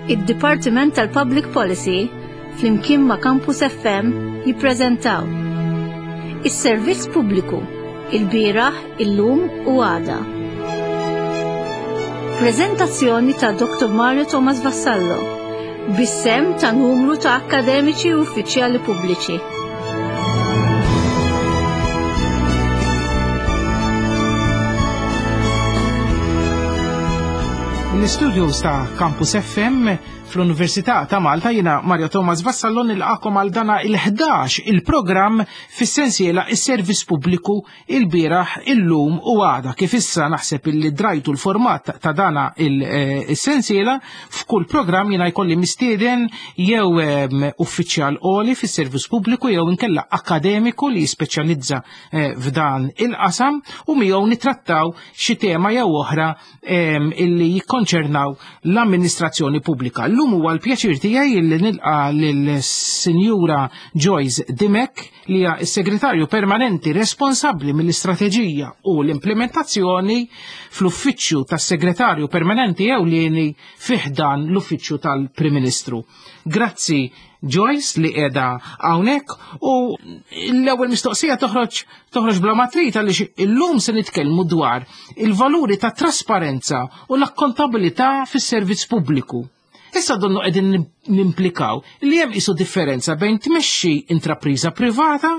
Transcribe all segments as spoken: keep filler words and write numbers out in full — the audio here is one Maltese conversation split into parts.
Id-Dipartiment tal-Public Policy flimkien ma' Campus F M jippreżentaw Is-Servizz Pubbliku, il-bieraħ, illum u għada. Preżentazzjoni ta' Doctor Mario Thomas Vassallo bis-sehem ta' numru ta' akkademiċi u uffiċjali pubbliċi. L-istudios ta' Campus F M fl-Università ta' Malta, jiena Mario Thomas Vassallo nilqagħkom għal dana il-ħdax il-programm fis-sensiela Is-Servizz Pubbliku, il-bieraħ, illum u għada. Kif issa naħseb illi drajtu l-format ta' dana il-sensiela, f'kull programm jiena jkolli mistieden jew uffiċjal għoli fis-servizz pubbliku jew inkella akademiku li jispeċjalizza eh, f'dan il-qasam u miegħu nitrattaw xi tema jew oħra illi jikkonċernaw l-amministrazzjoni pubblika. Illum huwa l-pjaċir tiegħi li nilqa' lill-Sinjura Joyce Dimech, li hija s-segretarju permanenti responsabbli mill-istrateġija u l-implementazzjoni fl-uffiċċju tas-segretarju permanenti ewlieni fi ħdan l-uffiċċju tal-Prim Ministru. Grazzi, Joyce, li qiegħda hawnhekk, u l-ewwel mistoqsija toħroġ toħroġ bla matrit, għaliex illum se nitkellmu dwar il-valuri ta' trasparenza u l-akkontabilità fis-servizz pubbliku. Issa donnu qegħdin nimplikaw li hemm qisu differenza bejn tmexxi intrapriża privata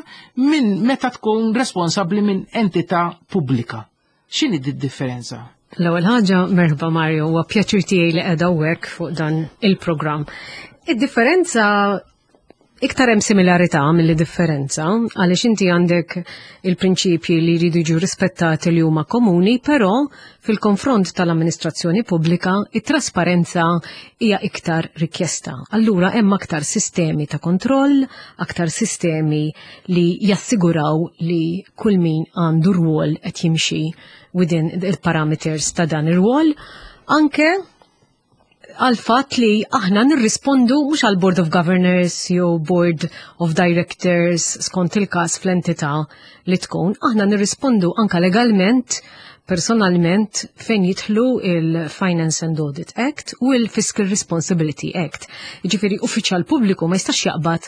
minn meta tkun responsabbli minn entità pubblika. X'inhi di differenza? L-ewwel ħaġa, merħba Mario, huwa pjaċir tiegħi li qiegħda hawnhekk fuq dan il-programm. Id-differenza, iktar hemm similarità milli differenza, għaliex inti għandek il-prinċipji li jridu jiġu rispettati li huma komuni, però fil-konfront tal-amministrazzjoni pubblika it-trasparenza hija iktar rikjesta. Allura hemm aktar sistemi ta' kontroll, aktar sistemi li jassiguraw li kull min għandu rwol qed jimxi within il-parameters ta' dan ir-rwol, anke għal fatt li aħna nirrispondu mhux għal Board of Governors jew Board of Directors skont il-każ fl-entità li tkun, aħna nirrispondu anka legalment, personalment, fejn jidħlu il-Finance and Audit Act u il-Fiscal Responsibility Act. Jiġifieri uffiċjal pubbliku ma jistax jaqbad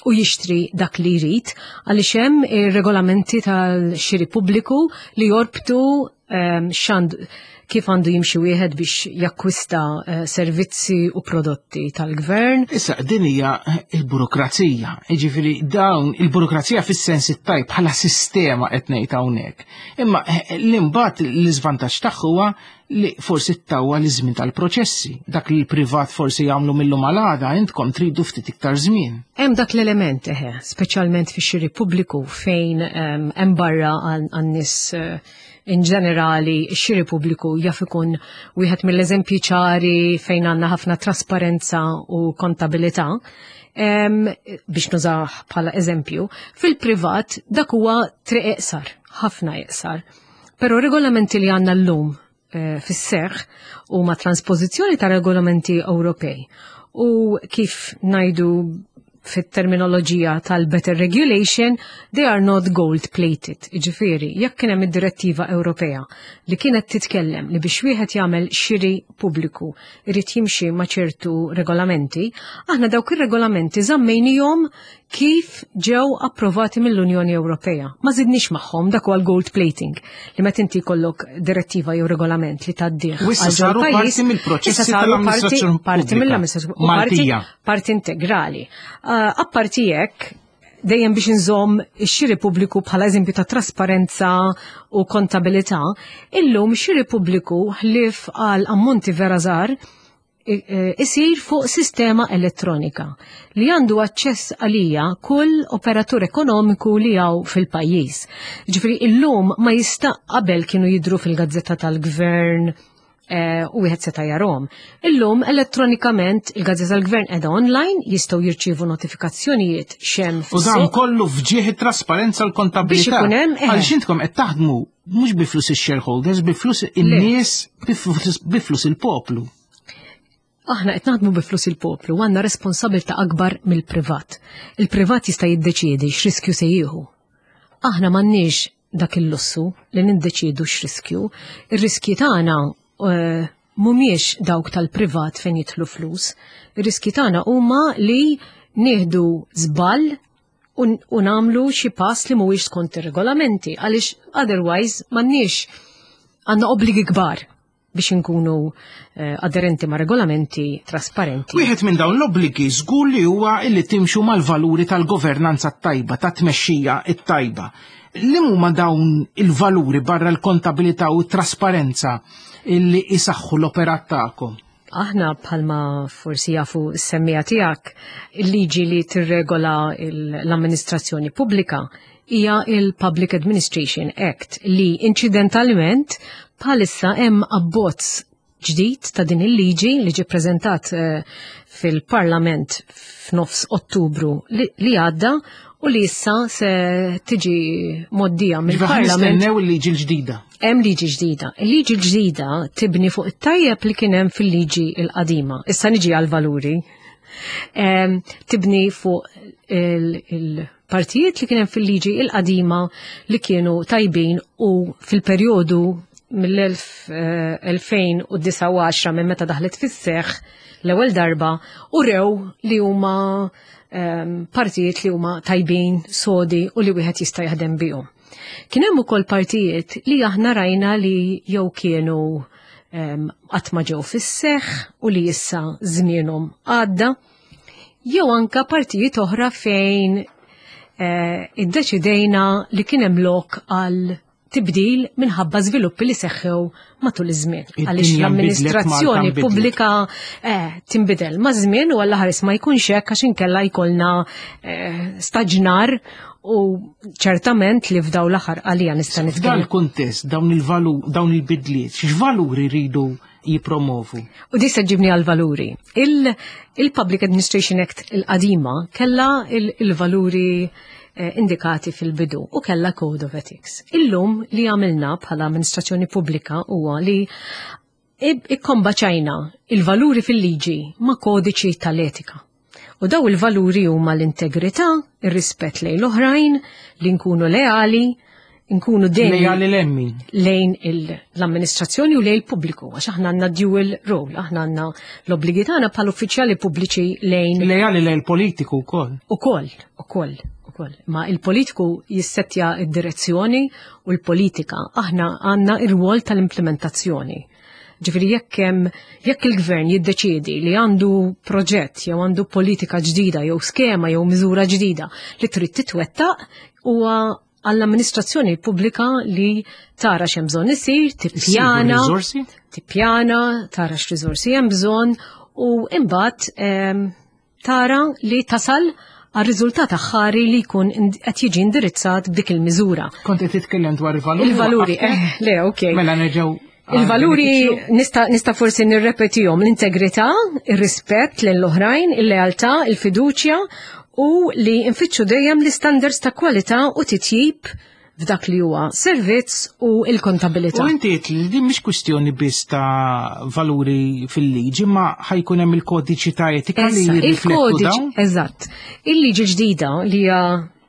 u jixtri dak li jrid, għaliex hemm ir-regolamenti tal-xiri pubbliku li jorbtu um, xand kif għandu jimxi wieħed biex jakkwista uh, servizzi u prodotti tal-gvern. Issa din hija il-burokrazija, jiġifieri dawn il-burokrazija fis-sens it-tajb bħala sistema qed ngħid hawnhekk. Imma eh, l-imbagħad l-iżvantaġġ tagħha huwa li forsi ttawwal iż-żmien tal-proċessi. Dak li l-privat forsi jagħmlu mill-lum għal għada, intkom tridu ftit iktar żmien. Hemm dak l-element eħe, speċjalment fix-xiri pubbliku fejn hemm barra għan-nies uh, in ġenerali x-xiri pubbliku jaf ikun wieħed mill-eżempji ċari fejn għandna ħafna trasparenza u kontabilità. Um, biex nużah bħala eżempju, fil-privat dak huwa triq iqsar, ħafna iqsar. Però regolamenti li għandna llum eh, fis-seħħ huma transpożizzjoni ta' regolamenti Ewropej. U kif ngħidu fit-terminoloġija tal-better regulation, they are not gold plated. Ġifieri, jekk kien hemm id-direttiva Ewropea li kienet titkellem li biex wieħed jagħmel xiri pubbliku irid jimxi ma' ċertu regolamenti, aħna dawk ir-regolamenti żammejnihom kif ġew approvati mill-Unjoni Ewropea. Ma żidniex magħhom. Dak huwa l-gold plating, li meta inti jkollok direttiva jew regolament li tgħaddih. U issa saru parti mill-proċessi tal-amministrazzjoni parti mill-amministrazzjoni u parti, Maltija. Parti integrali. Uh, apparti hekk, dejjem biex nżomm ix-xiri pubbliku bħala eżempju ta' trasparenza u kontabilità, illum ix-xiri pubbliku, ħlief għal ammonti vera żgħar, isir fuq sistema elettronika li għandu aċċess għalija kull operatur ekonomiku li hawn fil-pajjiż. Ġifieri illum ma jista', qabel kienu jidru fil-gazzetta tal-gvern eh, u wieħed seta' jarahom. Illum elettronikament il-gazzetta tal-gvern qiegħda online, jistgħu jirċievu notifikazzjonijiet x'hemm U dan kollu f'ġieħ it-trasparenza, l-kontabilità. Biex ikun hemm, eh. Għaliex intkom qed taħdmu mhux bi flus ix-shareholders, bi flus in-nies, bi flus- bi flus il-poplu. Aħna qed naħdmu bi flus il-poplu u għandna responsabilità akbar mill-privat. Il-privat jista' jiddeċiedi x'riskju se jieħu. Aħna m'għandniex dak il-lussu li niddeċiedu x'riskju. Ir-riskji tagħna eh, mhumiex dawk tal-privat fejn jidħlu flus. Ir-riski tagħna huma li nieħdu żball u u nagħmlu xi pass li mhuwiex skont ir-regolamenti, għaliex otherwise m'għandniex, għandna obbligi kbar biex inkunu eh, aderenti ma' regolamenti, trasparenti. Wieħed minn dawn l-obbligi żgur li huwa illi timxu mal-valuri tal-governanza tajba, ta' tmexxija it-tajba. Li huma dawn il-valuri barra l-kontabilità u t-trasparenza illi isaħħu l-operat tagħkom? Aħna, bħalma forsi jafu s-semmiegħa tiegħek, il-liġi li tirregola il- l-amministrazzjoni pubblika hija il-Public Administration Act, li incidentalment bħalissa hemm abbozz ġdid ta' din il-liġi li ġie preżentat eh, fil-Parlament f'nofs Ottubru li li għadda u li issa se tiġi mgħoddija Ġifieri mill-Parlament. Nistennew il-liġi l-ġdida. Hemm liġi ġdida. Il-liġi l-ġdida tibni fuq it-tajjeb li kien hemm fil-liġi l-qadima. Issa niġi għal-valuri. Em, Tibni fuq il-partijiet li kien hemm fil-liġi il-qadima li kienu tajbin u fil-perjodu mill-elfejn u disa minn meta daħlet fis-seħ l-ewwel darba u rew li huma em, partijiet li huma tajbin, sodi u li wieħed jista' jaħdem bihom. Kien hemm ukoll partijiet li aħna rajna li jew kienu em, qatt ma ġew fis-seħħ u li issa żmienhom għadda, jew anka partijiet oħra fejn eh, iddeċidejna li kien hemm lok għal tibdil minħabba żviluppi li seħħew matul iż-żmien. Id-dinja Għaliex nbidlet, l-amministrazzjoni Malta nbidlet. pubblika eh, tinbidel ma' żmien u għalla ħares ma jkunx hekk, għax inkella jkollna eh, staġnar u ċertament li f'daw l-aħħar għalija nista' F'dan nitkellem. il-kuntest, dawn il-valu, dawn il-bidliet, x'valuri rridu jipromovu? U di se ġibni għal-valuri. Il- Il-Public Administration Act il-qadima kella il- il-valuri eh, indikati fil-bidu u kella Code of Ethics. Illum li għamilna bħala amministrazzjoni pubblika huwa li ikkombaċajna il-valuri fil-liġi ma' kodiċi tal-etika. U daw il-valuri huma l-integrità, ir-rispett lejn l-oħrajn, li nkunu leali, nkunu dejjem Lejali lejn min? lejn il- l-amministrazzjoni u lejn il-pubbliku, għax aħna għandna dual role, aħna għandna l-obbligi tagħna bħal uffiċjali pubbliċi lejn Lejali lejn il-politiku wkoll. Ukoll, ukoll, ukoll. Ma il-politiku jissettja id-direzzjoni u l-politika, aħna għandna ir-rwol tal-implementazzjoni. Ġifieri jekk hemm jekk il-gvern jiddeċiedi li għandu proġett jew għandu politika ġdida jew skema jew miżura ġdida li trid titwettaq, huwa għall-amministrazzjoni pubblika li tara x'hemm bżonn isir, tippjana, riżorsi? tippjana, tara x'riżorsi hemm bżonn u imbagħad em, tara li tasal għal riżultat aħħari li jkun ind- qed jiġi indirizzat b'dik il-miżura. Kont qed titkellem dwar il-valuri. Il-valuri, eh, le, ok. Mela nerġgħu għal Il-valuri benefiċċju. nista, nista forsi nirrepetihom: l-integrità, ir-rispett lejn l-oħrajn, il-lealtà, il-fiduċja u li nfittxu dejjem l-standards ta' kwalità u titjib f'dak li huwa servizz u l-kontabilità. U inti għedt li din mhix kwistjoni biss ta' valuri fil-liġi, ma ħa jkun hemm il-kodiċi ta' etika li Issa, jirriflettu il-kodiċi, dawn. Eżatt. Il-liġi ġdida li hija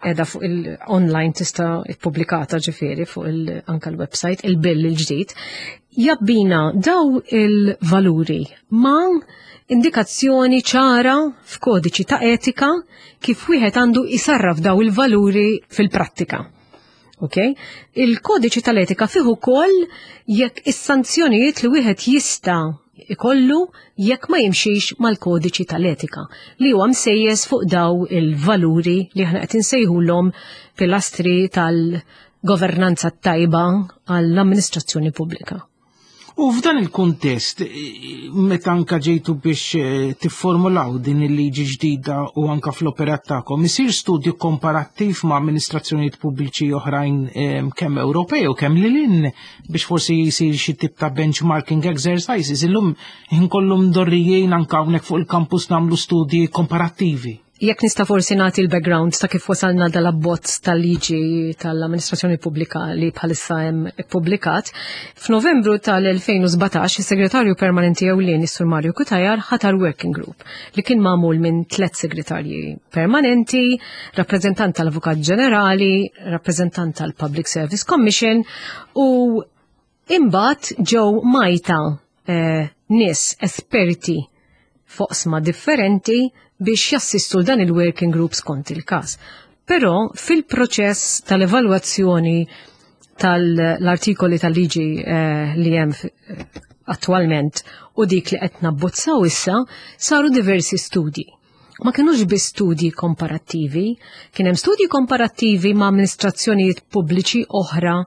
edha fuq il-online, tista' ippubblikata ġifieri fuq il anka l-website, il-bill il-ġdid, jabbina daw il-valuri ma' indikazzjoni ċara f'kodiċi ta' etika kif wieħed għandu jisarraf daw il-valuri fil-prattika. Ok? Il-kodiċi tal-etika fih ukoll jekk is-sanzjonijiet li wieħed jista' ikollu jekk ma jimxix mal-kodiċi tal-etika li huwa msejjes fuq daw il-valuri li aħna qed insejħulhom pilastri tal-governanza tajba għall-amministrazzjoni pubblika. U f'dan il-kuntest, eh, meta anka ġejtu biex eh, tifformulaw din il-liġi ġdida u anka fl-operat tagħkom, isir studju komparattiv ma' amministrazzjonijiet pubbliċi oħrajn eh, kemm Ewropej u kemm lil hinn, biex forsi jisir xi tip ta' benchmarking exercises? Illum inkollum dorrijin anka hawnhekk fuq il-campus nagħmlu studji komparattivi. Jekk nista' forsi nagħti l-background ta' kif wasalna dal-abbozz tal-liġi tal-amministrazzjoni pubblika li bħalissa hemm ippubblikat. F'Novembru tal-elfejn u sbatax is-Segretarju Permanenti Ewlieni, is-Sur Mario Cutajar, ħatar working group li kien magħmul minn tliet segretarji permanenti, rappreżentant tal-Avukat Ġenerali, rappreżentant tal-Public Service Commission, u imbagħad ġew majta eh, nies esperti f'oqsma differenti biex jassistu dan il-working groups kont il-każ. Però fil-proċess tal-evalwazzjoni tal-artikoli tal-liġi eh, li hemm attualment u dik li qed nabbozzaw issa, saru diversi studji. Ma kienux biss studji komparattivi, kien hemm studji komparattivi ma' amministrazzjonijiet pubbliċi oħra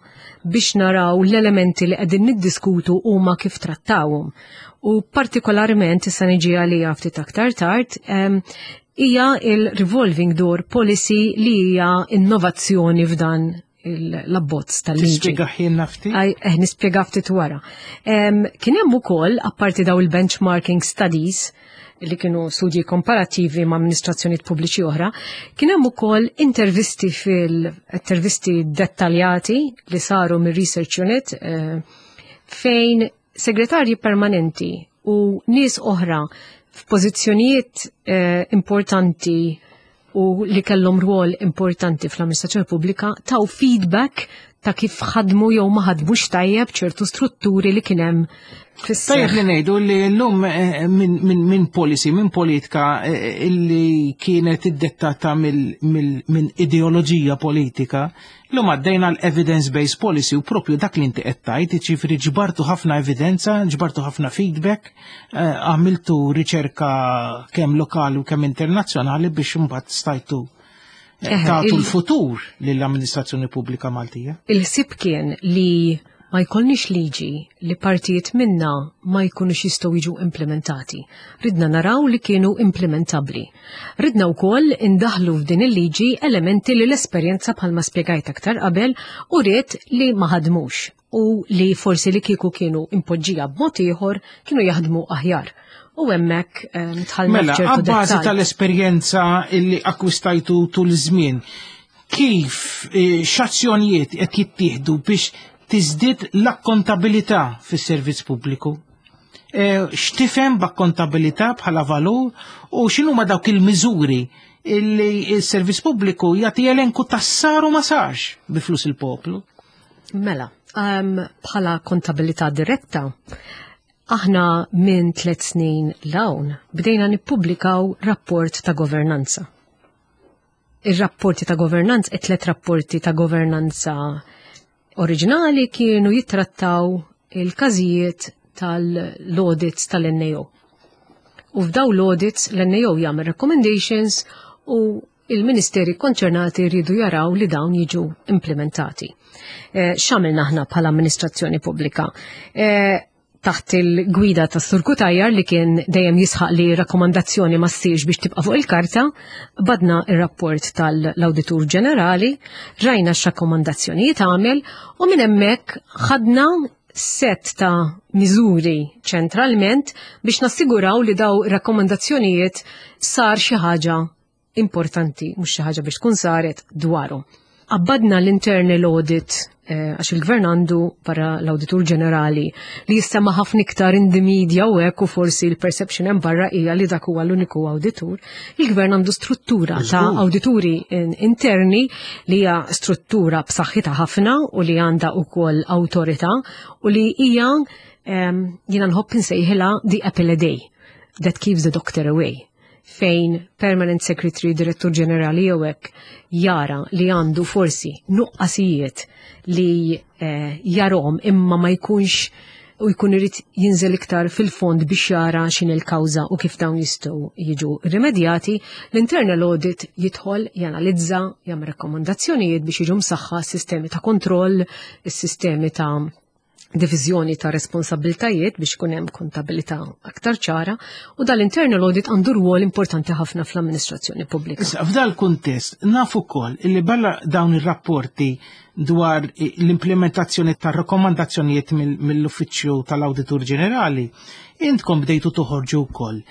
biex naraw l-elementi li qegħdin niddiskutu huma kif trattawhom. U partikolarment, issa niġi għalija ftit aktar tard, hija il-revolving door policy li hija innovazzjoni f'dan l-abbozz tal-liġi. Tispjega ħin ftit? Eh, nispjega ftit wara. Kien hemm ukoll, apparti daw il-benchmarking studies, li kienu studji komparativi ma' amministrazzjonijiet pubbliċi oħra, kien hemm ukoll intervisti fil-intervisti dettaljati li saru mir-research unit eh, fejn segretarji permanenti u nies oħra f'pożizzjonijiet eh, importanti u li kellhom rwol importanti fl-amministrazzjoni pubblika taw feedback ta' kif ħadmu jew ma ħadmux tajjeb ċertu strutturi li kien hemm. Tajjeb li ngħidu li llum eh, minn min policy, minn politika eh, illi kienet iddettata minn ideoloġija politika, llum għaddejna l-evidence-based policy u propju dak li inti qed tgħid, ġifieri ġbartu ħafna evidenza, ġbartu ħafna feedback, eh, għamiltu riċerka kemm lokali u kemm internazzjonali biex imbagħad stajtu tagħtu l-futur lill-amministrazzjoni pubblika Maltija. Il-ħsieb kien li ma jkollniex liġi li partijiet minna ma jkunux jistgħu jiġu implementati. Ridna naraw li kienu implementabbli. Ridna wkoll indaħlu f'din il-liġi elementi li l-esperjenza, bħalma spjegajt aktar qabel, u ried li ma ħadmux u li forsi li kieku kienu impoġġija b'mod ieħor kienu jaħdmu aħjar. U hemmhekk eh, dħalna Mela, f'ċertu għabbażi dettall. tal-esperjenza illi akkwistajtu tul iż-żmien, kif eh, x'azzjonijiet qed jittieħdu biex tiżdied l-akkontabilità fis-servizz pubbliku? Eh, X'tifhem b'akkontabilità bħala valur u x'inhuma dawk il-miżuri illi s-servizz pubbliku jagħti elenku tas-sar u ma sarx bi flus il-poplu? Mela, um, bħala kontabilità diretta, aħna minn tliet snin 'l hawn bdejna nippubblikaw rapport ta' governanza. Ir-rapporti ta' governanza, it-tlet rapporti ta' governanza oriġinali kienu jittrattaw il-każijiet tal-audits tal-N A O. U f'daw l-audits l-N A O jagħmel recommendations u il-ministeri konċernati rridu jaraw li dawn jiġu implementati. Eh, X'għamilna aħna bħala amministrazzjoni pubblika? Eh, taħt il-gwida ta' Sur Cutajar, li kien dejjem jisħaq li rakkomandazzjoni ma ssirx biex tibqa' fuq il-karta, badna ir-rapport tal-Awditur Ġenerali, rajna x'rakkomandazzjonijiet għamel u minn hemmhekk ħadna set ta' miżuri ċentralment biex nassiguraw li daw rakkomandazzjonijiet sar xi ħaġa importanti, mhux xi ħaġa biex tkun saret dwaru. Abbadna l-internal audit eh, għax il-gvern għandu para l-Awditur Ġenerali li jissema ħafna iktar in the media u hekk, u forsi l-perception hemm barra hija li dak huwa l-uniku awditur. Il-gvern għandu struttura ta' Żgur. awdituri in- interni li hija struttura b'saħħitha ħafna u li għandha wkoll awtorità u li hija em, jiena nħobb insejħilha the apple a day that keeps the doctor away, fejn permanent secretary, direttur ġenerali jew hekk jara li għandu forsi nuqqasijiet li eh, jarahom imma ma jkunx u jkun irid jinżel iktar fil-fond biex jara x'in il-kawża u kif dawn jistgħu jiġu rimedjati, l-internal audit jidħol, janalizza, jagħmel rakkomandazzjonijiet biex jiġu msaħħa sistemi ta' kontroll, is-sistemi ta' diviżjoni ta' responsabiltajiet biex ikun hemm kontabilità aktar ċara, u dal-internal audit għandu rwol importanti ħafna fl-amministrazzjoni pubblika. Issa, f'dal kuntest, nafu ukoll illi barra dawn ir-rapporti dwar l-implementazzjoni ta' rakkomandazzjonijiet mill-Uffiċċju tal-Awditur Ġenerali, intkom bdejtu toħorġu wkoll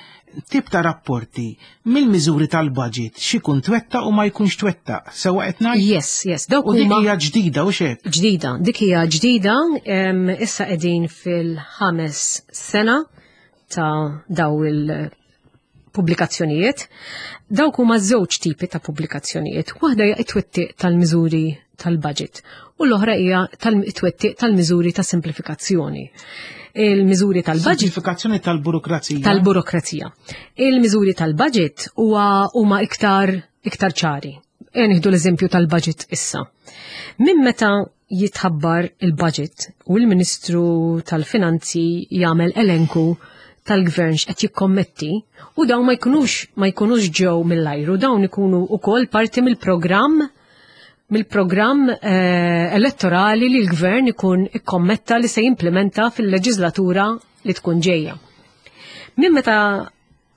tip ta' rapporti mill-miżuri tal-budget x'ikun twetta u ma jkunx twetta. Sewa qed ngħid? Yes, yes, dawk U dik huma hija ġdida u xek. Ġdida, dik hija ġdida, em, issa qegħdin fil-ħames sena ta' daw il-pubblikazzjonijiet. Dawk huma żewġ tipi ta' pubblikazzjonijiet. Waħda hija it-twettiq tal-miżuri tal-budget u l-oħra hija tal-twettiq tal-miżuri ta' simplifikazzjoni. Il-miżuri tal-budget Simplifikazzjoni tal-burokrazija. Tal-burokrazija. Il-miżuri tal-budget huwa huma iktar iktar ċari. E nieħdu l-eżempju tal-budget issa. Minn meta jitħabbar il-budget u l-Ministru tal-Finanzi jagħmel elenku tal-gvern x'qed jikkommetti, u dawn ma jkunux ma jkunux ġew mill-ajru, dawn ikunu ukoll parti mill-programm mill-programm eh, elettorali li l-gvern ikun ikkommetta li se jimplementa fil-leġislatura li tkun ġejja. Minn meta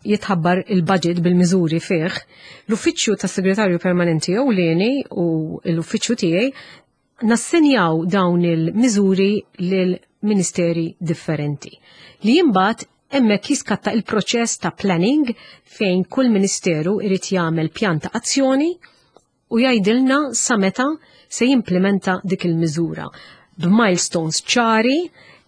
jitħabbar il-budget bil-miżuri fih, l-Uffiċċju tas Segretarju Permanenti Ewlieni u l-uffiċċju tiegħi nassenjaw dawn il-miżuri lil ministeri differenti. Li imbagħad hemmhekk jiskatta il-proċess ta' planning, fejn kull ministeru irid jagħmel pjan ta' azzjoni u jgħidilna sa meta se jimplementa dik il-miżura, b'milestones ċari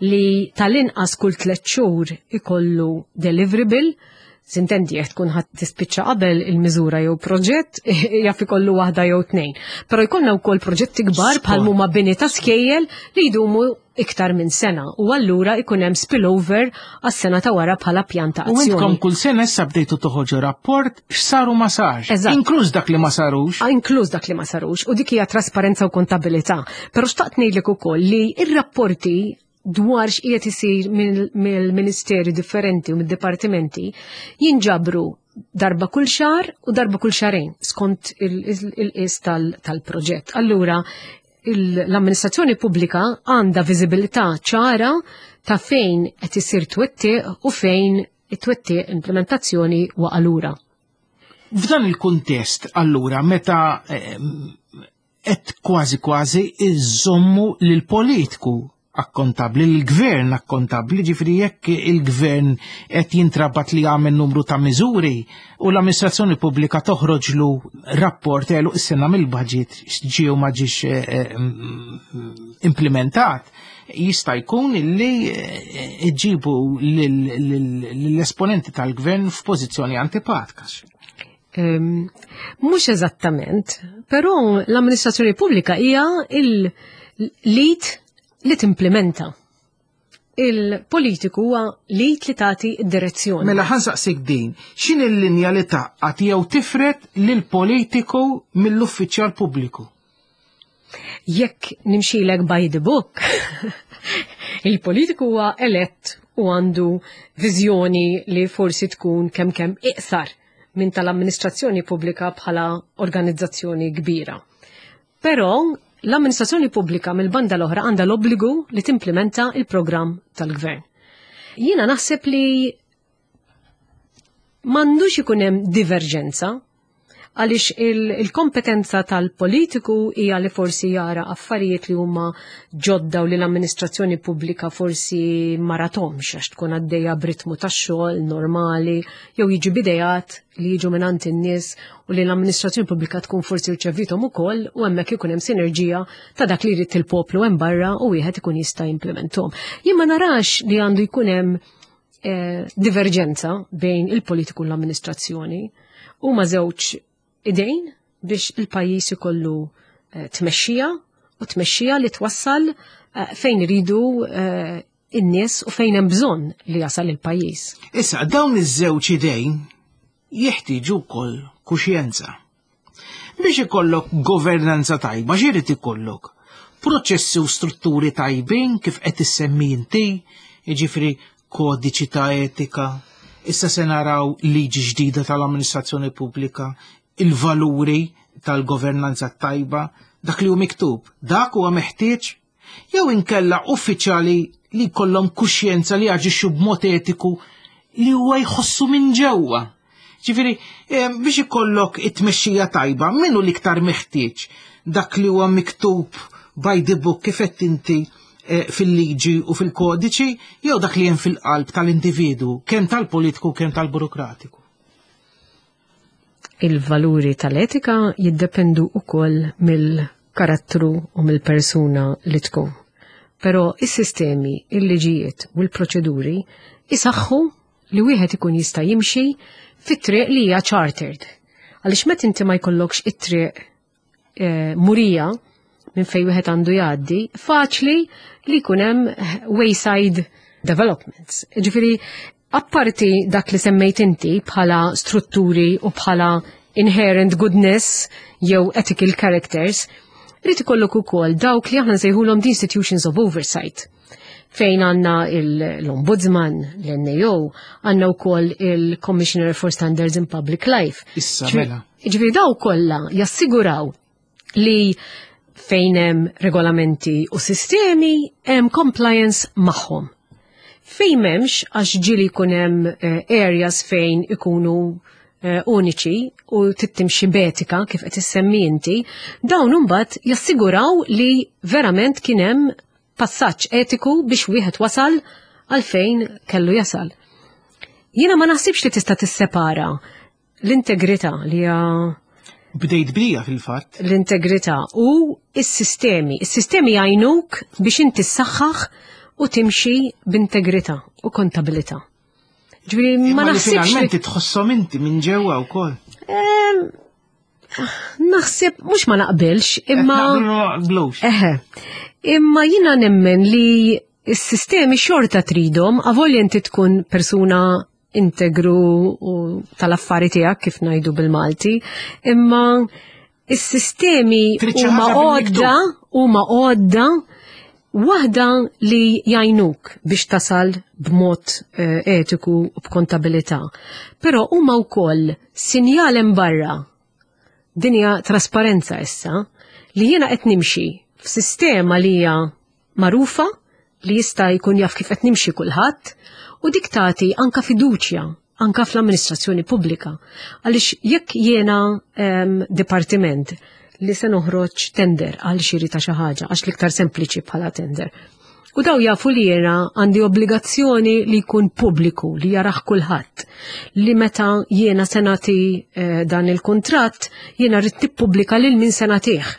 li tal-inqas kull tliet xhur ikollu deliverable. S'intendi, jekk tkun ħadd tispiċċa qabel il-miżura jew proġett, jaf ikollu waħda jew tnejn. Però jkollna wkoll proġetti kbar bħal huma bini ta' skejjel li jdumu iktar minn sena u allura ikun hemm spillover għas-sena ta' wara bħala pjan ta' U intkom azzjoni. Kull sena issa bdejtu toħorġu rapport x'saru, ma sarx. Eżatt. Inkluż dak li ma sarux. Ah, inkluż dak li ma sarux, u dik hija trasparenza u kontabilità. Però xtaqt ngħidlek ukoll li ir-rapporti dwar x'qiegħed isir mill-ministeri differenti u mid-dipartimenti jinġabru darba kull xahar u darba kull xahrejn skont il-qis tal-proġett. Allura l-amministrazzjoni pubblika għandha viżibilità ċara ta' fejn qed isir twettiq u fejn it-twettiq, implementazzjoni, waqa' lura. F'dan il-kuntest, allura, meta qed kważi kważi iżommu lil politiku akkontabli, l-gvern akkontabli, ġifieri jekk il-gvern qed jintrabat li jagħmel numru ta' miżuri u l-amministrazzjoni pubblika toħroġlu rapport għeluq is-sena mill-budget ġie u ma ġiex eh, eh, implementat, jista' jkun illi eh, iġibu l-esponenti tal-gvern f'pożizzjoni antipatika. Mhux eżattament, però l-amministrazzjoni pubblika hija il-lead li timplementa. Il-politiku huwa l-id li tagħti d-direzzjoni. Mela ħa nsaqsik din, x'in il-linja li tgħaqqad jew tifred lil politiku mill-uffiċjal pubbliku? Jekk nimxilek by the book, il-politiku huwa elett u għandu viżjoni li forsi tkun kemm kemm iqsar minn tal-amministrazzjoni pubblika bħala organizzazzjoni kbira. Però l-amministrazzjoni pubblika mill-banda l-oħra għandha l-obbligu li timplementa il-programm tal-gvern. Jiena naħseb li m'għandux ikun hemm diverġenza, għaliex il-kompetenza tal-politiku hija li forsi jara affarijiet li huma ġodda u li l-amministrazzjoni pubblika forsi ma rathomx għax tkun għaddejja b'ritmu tax-xogħol normali, jew jiġu b'ideat li jiġu mingħand in-nies u li l-amministrazzjoni pubblika tkun forsi rċevithom ukoll, u hemmhekk ikun hemm sinerġija ta' dak li jrid il-poplu hemm barra u wieħed ikun jista' jimplementahom. Jien ma narax li għandu jkun hemm eh, diverġenza bejn il-politiku u l-amministrazzjoni. Huma żewġ idejn biex il-pajjiż ikollu eh, tmexxija, u tmexxija li twassal eh, fejn iridu eh, in-nies u fejn hemm bżonn li jasal il-pajjiż. Issa, dawn iż-żewġ idejn jeħtieġu wkoll kuxjenza. Biex ikollok governanza tajba, x'irid ikollok? Proċessi u strutturi tajbin kif qed issemmi inti, jiġifieri kodiċi ta' etika, issa se naraw liġi ġdida tal-amministrazzjoni pubblika, il-valuri tal-governanza tajba, dak li hu miktub, dak huwa meħtieġ, jew inkella uffiċjali li jkollhom kuxjenza li jaġixxu b'mod etiku li huwa jħossu minn ġewwa? Ġifieri, eh, biex ikollok it-tmexxija tajba, minnu l-iktar meħtieġ? Dak li huwa miktub by the book kif qed inti eh, fil-liġi u fil-kodiċi, jew dak li hemm fil-qalb tal-individu, kemm tal-politiku, kemm tal-burokratiku? Il-valuri tal-etika jiddependu ukoll mill-karattru u mill-persuna li tkun. Però is-sistemi, il-liġijiet u l-proċeduri isaħħu li wieħed ikun jista' jimxi fit-triq li hija chartered. Għaliex meta inti ma jkollokx it-triq eh, murija, minn fejn wieħed għandu jgħaddi, faċli li jkun hemm wayside developments. Ġifieri, apparti dak li semmejt inti bħala strutturi u bħala inherent goodness jew ethical characters, irid ikollok ukoll dawk li aħna nsejħulhom the institutions of oversight, fejn għandna l-Ombudsman, l-N A O, għandna wkoll il-Commissioner for Standards in Public Life. Issa mela. Ġifieri daw kollha jassiguraw li fejn hemm regolamenti u sistemi hemm compliance magħhom. Fejn m'hemmx, għax ġieli jkun hemm eh, areas fejn ikunu eh, uniċi u tittimxi b'etika kif qed issemmi inti, dawn imbagħad jassiguraw li verament kien hemm passaġġ etiku biex wieħed wasal għal fejn kellu jasal. Jiena ma naħsibx li tista' tissepara l-integrità li hija Bdejt bija fil-fatt. L-integrità u s-sistemi. Is-sistemi jgħinuk biex inti ssaħħaħ u timxi b'integrità u kontabilità. Ġifieri ma Imma li naħsibx li finalment tħossom inti minn ġewwa wkoll. Naħseb mhux ma naqbilx, imma Naqblu ma naqblux. Eħe. Imma jina nemmen li s-sistemi xorta tridhom, avolja inti tkun persuna integru u tal-affari tiegħek, kif ngħidu bil-Malti, imma is-sistemi Trid xi huma ħaġa bil-miktub. għodda, huma għodda waħda li jgħinuk biex tasal b'mod eh, etiku u b'kontabilità. Però huma wkoll sinjal hemm barra, dinja trasparenza issa, li jiena qed nimxi f'sistema li hija magħrufa, li jista' jkun jaf kif qed nimxi kulħadd, u dik tagħti anka fiduċja anka fl-amministrazzjoni pubblika. Għaliex jekk jiena em, dipartiment li se noħroġ tender għal xiri ta' xi ħaġa, għax l-iktar sempliċi bħala tender. U daw jafu li jiena għandi obbligazzjoni li jkun pubbliku, li jaraħ kulħadd. Li meta jiena se nagħti eh, dan il-kuntratt, jiena rrid nippubblika lil min se nagħtih.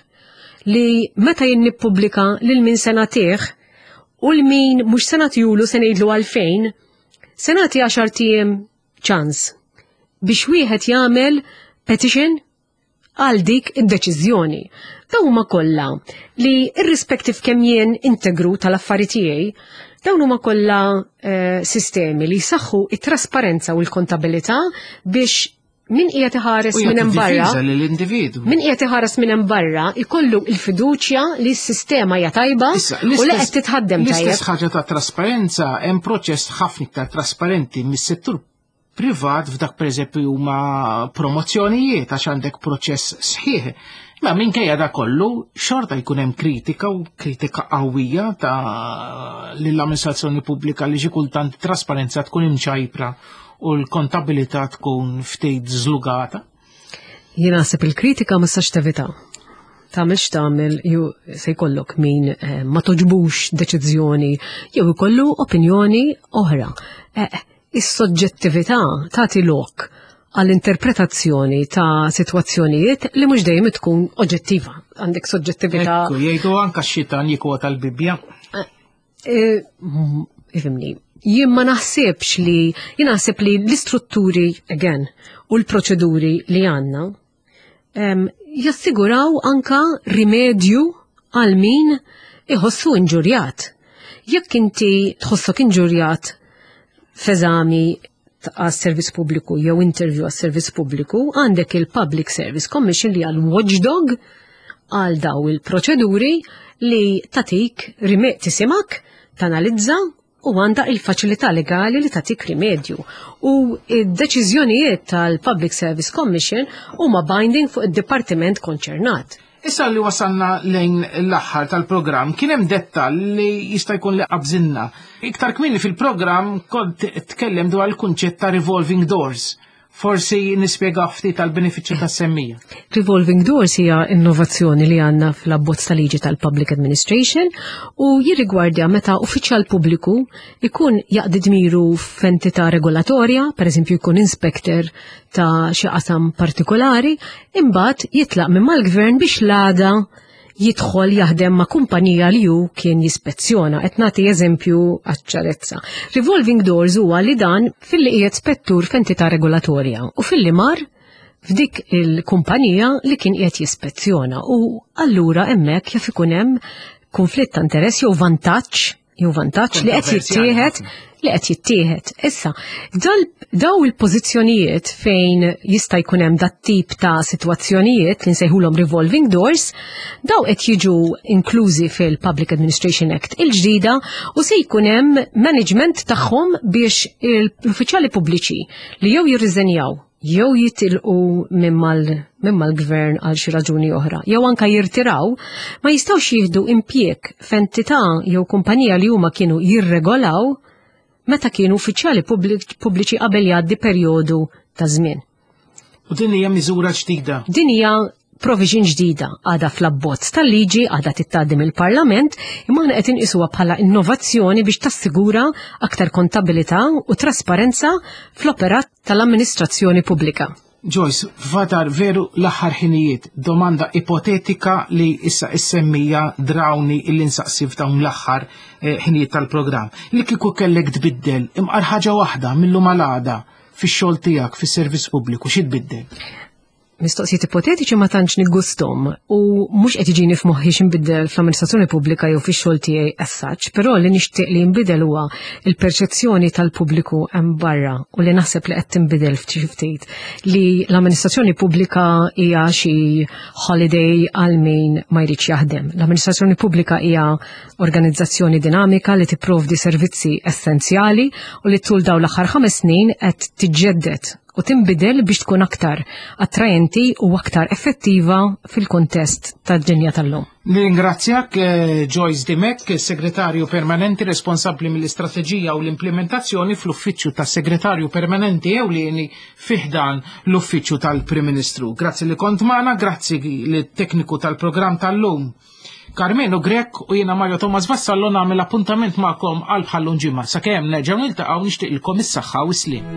Li meta jien nippubblika lil min se nagħtih u lil min mhux se nagħtihulu se ngħidlu għalfejn, se nagħti għaxart ijiem ċans biex wieħed jagħmel petition għal dik id-deċiżjoni. Dawn huma kollha li, irrispettiv kemm jien integru tal-affari tiegħi, dawn huma kollha eh, sistemi li jsaħħu it-trasparenza u l-kontabilità biex min qiegħed iħares U minn hemm jagħti barra difiża lill-individwu. min qiegħed iħares minn hemm barra ikollu l-fiduċja li s-sistema hija tajba Issa, u li l-istess- qed titħaddem tajjeb. L-istess ħaġa ta' trasparenza, hemm proċess ħafna iktar trasparenti mis-settur privat f'dak, pereżempju, huma promozzjonijiet, għax għandek proċess sħiħ. Ma minkejja da kollu xorta jkun hemm kritika, u kritika qawwija, ta' lill-amministrazzjoni pubblika li xi kultant trasparenza tkun imċajpra u l-kontabilità tkun ftit żlugata. Jien naħseb il-kritika ma tistax tevita. Tagħmel x'tagħmel ju se jkollok min eh, ma togħġbux deċiżjoni jew ikollu opinjoni oħra. Eh, Is-soġġettività tagħti lok għall-interpretazzjoni ta' sitwazzjonijiet li mhux dejjem tkun oġġettiva. Għandek soġġettività. Ekku, jgħidu anka x-xitan jikwota l-Bibbja. Eh, mm, Ifhimni, jien ma naħsibx li, jien naħseb li l-istrutturi, again, u l-proċeduri li għandna, em, jassiguraw anka rimedju għal min iħossu inġurjat. Jekk inti tħossok inġurjat f'eżami għas servizz pubbliku jew interview għas servizz pubbliku, għandek il-Public Service Commission li għal watchdog għal daw il-proċeduri li tatik rime tisimak, tanalizza u għanda il-faċilità legali li tatik rimedju. U id-deċiżjonijiet tal-Public Service Commission huma binding fuq id-dipartiment konċernat. Issa li wasalna lejn l-aħħar tal-programm, kien hemm dettall li jista' jkun li qabżinna. Iktar kmieni fil-programm kont tkellem dwar il-kunċett ta' revolving doors. Forsi nispjega ftit tal-benefiċċju tas-semmija. Revolving doors hija innovazzjoni li għandna fl-abbozz ta' liġi tal-Public Administration u jirrigwardja meta uffiċjal pubbliku ikun jaqdi dmiru f'entità regolatorja, per eżempju jkun inspector ta' xi qasam partikolari, imbagħad jitlaq minn mal-gvern biex l-għada jidħol jaħdem ma' kumpanija li hu kien jispezzjona. Qed nagħti eżempju għaċ-ċarezza. Revolving doors huwa li dan filli qiegħed spettur f'entità regolatorja u filli mar f'dik il-kumpanija li kien qiegħed jispezzjona, u allura hemmhekk jaf ikun hemm konflitt ta' interess jew vantaġġ jew vantaġġ li qed jittieħed li qed jittieħed. Issa, daw il-pożizzjonijiet fejn jista' jkun hemm dat tip ta' sitwazzjonijiet li nsejħulhom revolving doors, daw qed jiġu inklużi fil-Public Administration Act il-ġdida u se jkun hemm management tagħhom biex l-uffiċjali pubbliċi li jew jirriżenjaw jew jitilqu minn mal-gvern għal xi raġuni oħra, jew anka jirtiraw, ma jistgħux jieħdu impjieg f'entità jew kumpanija li huma kienu jirregolaw meta kienu uffiċjali pubbliċi qabel jgħaddi perjodu ta' żmien. U din hija miżura ġdida? Din hija provision ġdida, għadha fl-abbozz tal-liġi, għadha tgħaddi mill-Parlament, imma aħna qed inqisuha bħala innovazzjoni biex tassigura aktar kontabilità u trasparenza fl-operat tal-amministrazzjoni pubblika. Joyce, fadal veru l-aħħar ħinijiet, domanda ipotetika li issa issemmija drawni illi nsaqsi f'dawn l-aħħar ħinijiet tal-programm. Li kieku kellek tbiddel imqar ħaġa waħda mill-lum għal għada fix-xogħol tiegħek fis-servizz pubbliku, xi tbiddel? Mistoqsijiet ipotetiċi ma tantx niggustom u mhux qed jiġini f'moħħi x'inbiddel fl-amministrazzjoni pubblika jew fix-xogħol tiegħi as such, però li nixtieq li jinbidel huwa il-perċezzjoni tal-pubbliku hemm barra u li naħseb li qed tinbidel ftit ftit li l-amministrazzjoni pubblika hija xi holiday għal min ma jridx jaħdem. L-amministrazzjoni pubblika hija organizzazzjoni dinamika li tipprovdi servizzi essenzjali u li tul dawn l-aħħar ħames snin qed tiġġedded u tinbidel biex tkun aktar attrajenti u aktar effettiva fil-kontest tad-dinja tal-lum. Nirringrazzjak Joyce Dimech, segretarju permanenti responsabbli mill-istrateġija u l-implementazzjoni fl-Uffiċċju tas-Segretarju Permanenti Ewlieni fi ħdan l-Uffiċċju tal-Prim Ministru. Grazzi li kont magħna, grazzi lit-tekniku tal-programm tal-lum Carmelo Grech, u jiena Mario Thomas Vassallo nagħmel appuntament magħkom għal bħallum ġimgħa. Sakemm nerġgħu niltaqgħu, nixtieqilkom is-saħħa u s-sliem.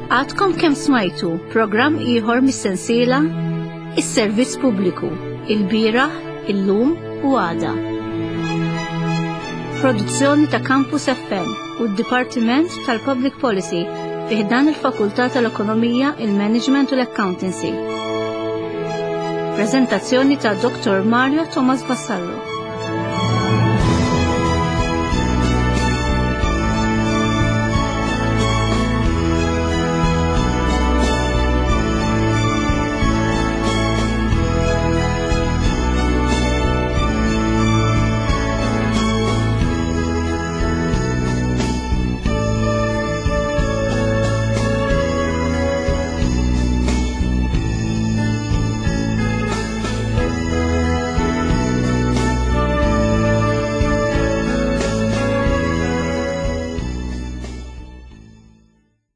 Għadkom kemm smajtu programm ieħor mis-sensiela Is-Servizz Pubbliku, il-bieraħ, illum u għada. Produzzjoni ta' Campus F M u d-Dipartiment tal-Public Policy fi ħdan il-Fakultà tal-Ekonomija, il-Management u l-Accountancy. Prezentazzjoni ta' Dottor Mario Thomas Vassallo.